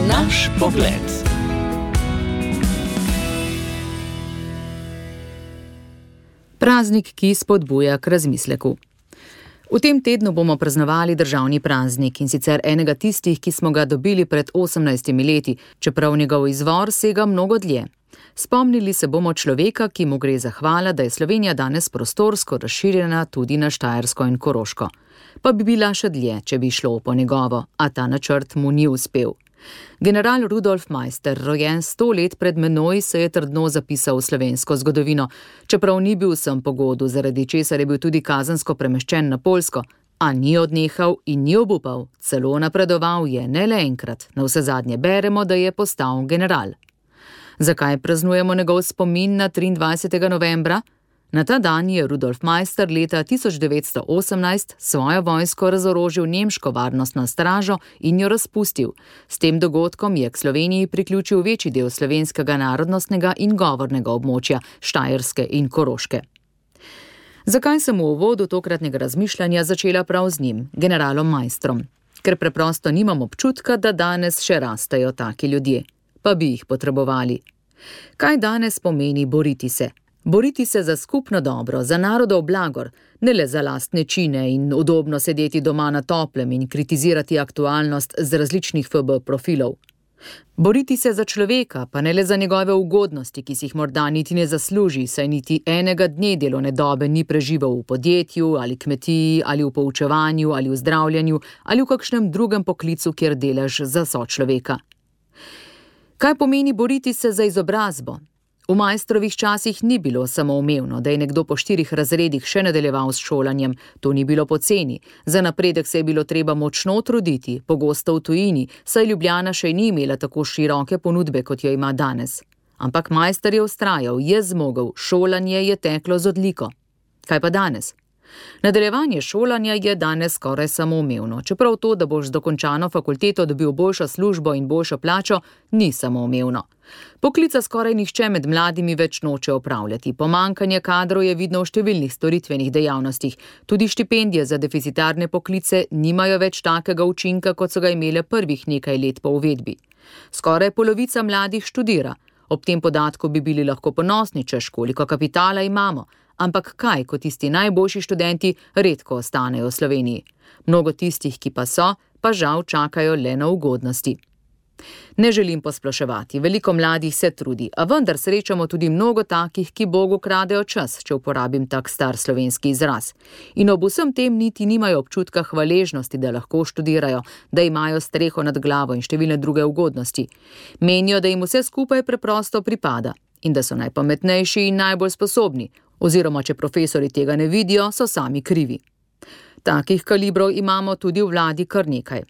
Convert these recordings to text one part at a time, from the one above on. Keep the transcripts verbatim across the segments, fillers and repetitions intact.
Naš pogled. Praznik, ki spodbuja k razmisleku. V tem tednu bomo praznovali državni praznik, in sicer enega tistih, ki smo ga dobili pred osemnajstimi leti, čeprav njegov izvor sega mnogo dlje. Spomnili se bomo človeka, ki mu gre zahvala, da je Slovenija danes prostorsko razširjena tudi na Štajersko in Koroško. Pa bi bila še dlje, če bi šlo po njegovo, a ta načrt mu ni uspel. General Rudolf Maister, rojen sto let pred menoj, se je trdno zapisal v slovensko zgodovino, čeprav ni bil vsem po godu, zaradi česar je bil tudi kazensko premeščen na Poljsko, a ni odnehal in ni obupal, celo napredoval je ne le enkrat, navsezadnje beremo, da je postal general. Zakaj praznujemo njegov spomin na triindvajsetega novembra? Na ta dan je Rudolf Maister leta tisoč devetsto osemnajst svojo vojsko razorožil nemško varnostno stražo in jo razpustil. S tem dogodkom je k Sloveniji priključil večji del slovenskega narodnostnega in govornega območja, Štajerske in Koroške. Zakaj sem v uvodu tokratnega razmišljanja začela prav z njim, generalom Maistrom? Ker preprosto nimam občutka, da danes še rastejo taki ljudje. Pa bi jih potrebovali. Kaj danes pomeni boriti se? Boriti se za skupno dobro, za narodov blagor, ne le za lastne čine in udobno sedeti doma na toplem in kritizirati aktualnost z različnih F B profilov. Boriti se za človeka, pa ne le za njegove ugodnosti, ki si jih morda niti ne zasluži, saj niti enega dne delovne dobe ni preživel v podjetju ali kmetiji ali v poučevanju ali v zdravljenju ali v kakšnem drugem poklicu, kjer delaš za sočloveka. Kaj pomeni boriti se za izobrazbo? V Maistrovih časih ni bilo samoumevno, da je nekdo po štirih razredih še nadaljeval s šolanjem. To ni bilo poceni. Za napredek se je bilo treba močno truditi, pogosto v tujini, saj Ljubljana še ni imela tako široke ponudbe, kot jo ima danes. Ampak Maister je vztrajal, je zmogel, šolanje je teklo z odliko. Kaj pa danes? Nadaljevanje šolanja je danes skoraj samoumevno, čeprav to, da boš z dokončano fakulteto dobil boljšo službo in boljšo plačo, ni samoumevno. Poklica skoraj nihče med mladimi več noče opravljati. Pomanjkanje kadrov je vidno v številnih storitvenih dejavnostih. Tudi štipendije za deficitarne poklice nimajo več takega učinka, kot so ga imele prvih nekaj let po uvedbi. Skoraj polovica mladih študira. Ob tem podatku bi bili lahko ponosni, češ koliko kapitala imamo. Ampak kaj, ko tisti najboljši študenti redko ostanejo v Sloveniji? Mnogo tistih, ki pa so, pa žal čakajo le na ugodnosti. Ne želim posploševati, veliko mladih se trudi, a vendar srečamo tudi mnogo takih, ki Bogu kradejo čas, če uporabim tak star slovenski izraz. In ob vsem tem niti nimajo občutka hvaležnosti, da lahko študirajo, da imajo streho nad glavo in številne druge ugodnosti. Menijo, da jim vse skupaj preprosto pripada in da so najpametnejši in najbolj sposobni, oziroma če profesori tega ne vidijo, so sami krivi. Takih kalibrov imamo tudi v vladi kar nekaj.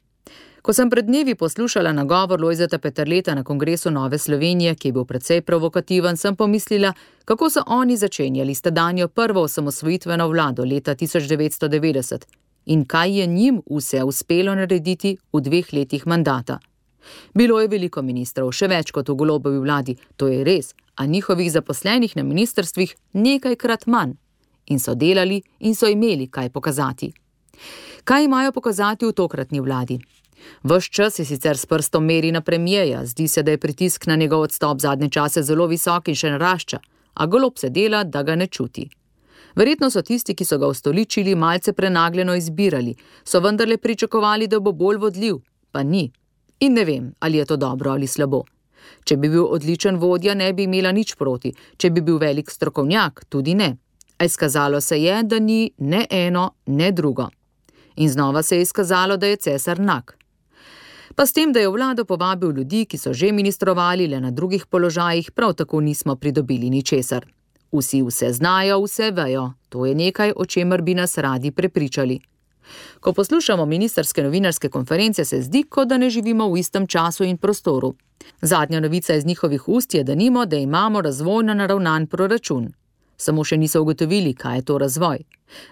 Ko sem pred dnevi poslušala nagovor Lojzeta Peterleta na kongresu Nove Slovenije, ki je bil precej provokativen, sem pomislila, kako so oni začenjali s tedanjo prvo osamosvojitveno vlado leta tisoč devetsto devetdeset in kaj je njim vse uspelo narediti v dveh letih mandata. Bilo je veliko ministrov, še več kot v Golobovi vladi, to je res, a njihovih zaposlenih na ministrstvih nekajkrat manj. In so delali in so imeli kaj pokazati. Kaj imajo pokazati v tokratni vladi? Ves čas je sicer s prstom meri na premierja, zdi se, da je pritisk na njegov odstop zadnje čase zelo visok in še narašča, a Golob se dela, da ga ne čuti. Verjetno so tisti, ki so ga ustoličili, malce prenagljeno izbirali, so vendarle pričakovali, da bo bolj vodljiv, pa ni. In ne vem, ali je to dobro ali slabo. Če bi bil odličen vodja, ne bi imela nič proti, če bi bil velik strokovnjak, tudi ne. A izkazalo se je, da ni ne eno, ne drugo. In znova se je izkazalo, da je cesar nag. Pa s tem, da je v vlado povabil ljudi, ki so že ministrovali le na drugih položajih, prav tako nismo pridobili ničesar. Vsi vse znajo, vse vejo, to je nekaj, o čemer bi nas radi prepričali. Ko poslušamo ministrske novinarske konference, se zdi, kot da ne živimo v istem času in prostoru. Zadnja novica iz njihovih ust je, denimo, da imamo razvojno naravnan proračun. Samo še niso ugotovili, kaj je to razvoj.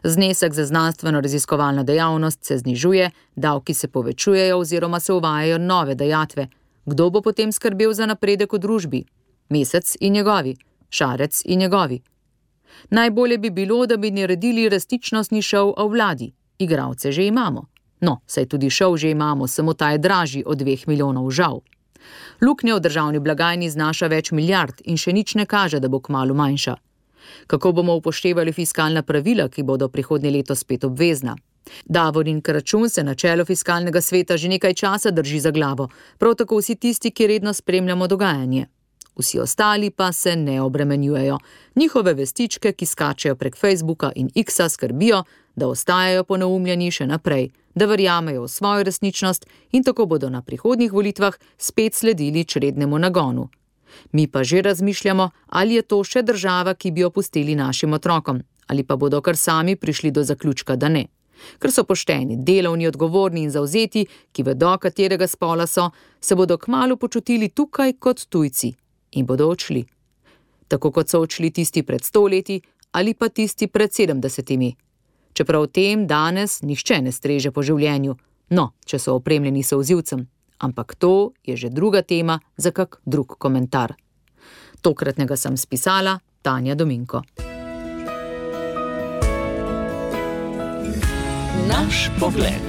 Znesek za znanstveno-raziskovalno dejavnost se znižuje, davki se povečujejo oziroma se uvajajo nove dajatve. Kdo bo potem skrbel za napredek v družbi? Mesec in njegovi, Šarec in njegovi. Najbolje bi bilo, da bi naredili resničnostni šov o vladi. Igralce že imamo. No, saj tudi šov že imamo, samo ta je dražji od dveh milijonov žal. Luknja v državni blagajni znaša več milijard in še nič ne kaže, da bo kmalu manjša. Kako bomo upoštevali fiskalna pravila, ki bodo prihodnje leto spet obvezna? Davorin Kračun se na čelu fiskalnega sveta že nekaj časa drži za glavo, prav tako vsi tisti, ki redno spremljamo dogajanje. Vsi ostali pa se ne obremenjujejo. Njihove vestičke, ki skačejo prek Facebooka in X-a, skrbijo, da ostajajo poneumljeni še naprej, da verjamejo v svojo resničnost in tako bodo na prihodnjih volitvah spet sledili črednemu nagonu. Mi pa že razmišljamo, ali je to še država, ki bi jo pustili našim otrokom, ali pa bodo kar sami prišli do zaključka, da ne. Ker so pošteni, delovni, odgovorni in zavzeti, ki vedo, katerega spola so, se bodo kmalu počutili tukaj kot tujci in bodo odšli. Tako kot so odšli tisti pred sto leti ali pa tisti pred sedemdesetimi. Čeprav v tem danes nihče ne streže po življenju, no, če so opremljeni solzivcem. Ampak to je že druga tema za kak drug komentar. Tokratnega sem spisala Tanja Dominko. Naš pogled.